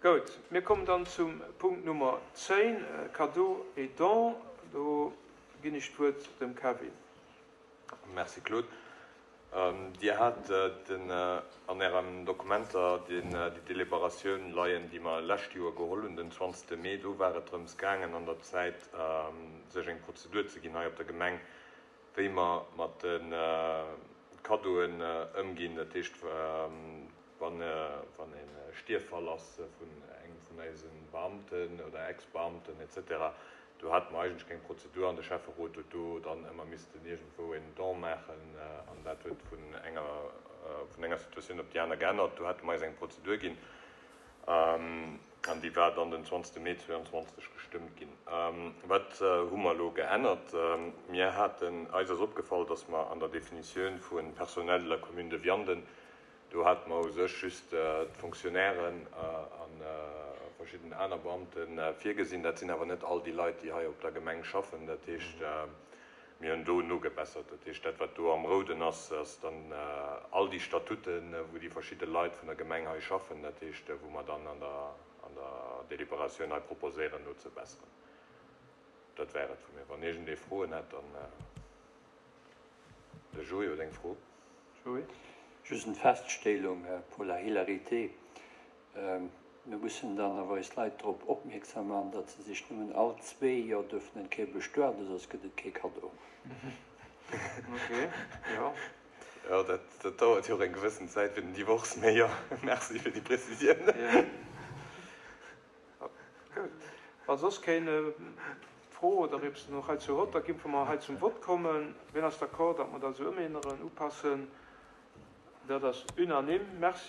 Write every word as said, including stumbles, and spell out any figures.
Goud, mir kommen dann zum Punkt Nummer zéng, Cadeaux et dons. Do ginn ech d'Wuert dem Kevin. Merci Claude. Dir hat den an Ären Dokumenter déi Deliberatioun leien, déi mer lescht Joer geholl hunn, den zwanzegste Mee. Do war et drëms gaangen, an der Zäit sech eng Prozedur ze ginn hei op der Gemeng, wéi mer mat de Cadeauen ëmginn. Dat heescht, wann e Stierffall ass vun engem vun eise Beamten oder Ex-Beamten et cetera, do hate mer eigentlech keng Prozedur an de Schäfferot huet do dann ëmmer missten iergendwou en Don maachen an dat huet vun enger vun enger Situatioun op déi aner geännert. Do hate mer eis eng Prozedur ginn an déi war dann den zwanzegste Mee zweeanzwanzeg gestëmmt ginn. Wat hu mer elo geännert? Mir haten, eis ass opgefall, dass mer an der Definitioun vu Personnel de la commune de Vianden, do hate mer u sech just d'Fonctionnairen a verschidden aner Beamte virgesinn. Dat sinn awer net all déi Leit, déi hei op der Gemeng schaffen. Dat heescht, mir hunn do nogebessert. Dat heescht, dat, wat do am Rouden ass, ass dann all déi Statuten, wou déi verschidde Leit vun der Gemeng hei schaffen. Dat heescht, wou mer dann an der an der Deliberatioun hei proposéieren nozebesseren. Dat wär et vu mir. Wann iergendee Froen hätt, dann de Joé huet eng Fro. Joé. Just eng Feststellung pour la hilarité. Mir mussen dann awer eis Leit drop opmierksam maachen, datt se sech nëmmen all zwee Joer dürfen eng Kéier bestueden, soss gëtt et kee Kaddo. Ok, jo. Jo, dat dauert jo och eng gewëssen Zäit fir den Divorce, mee jo, merci fir déi Prezisioun. Gutt. Wa soss keen Fro oder eppes nach heizou hott, da géife mer hei zum Vott kommen. Wien ass d'accord, datt mer dat esou ëmänneren, upassen? Dat ass unanime. Merci.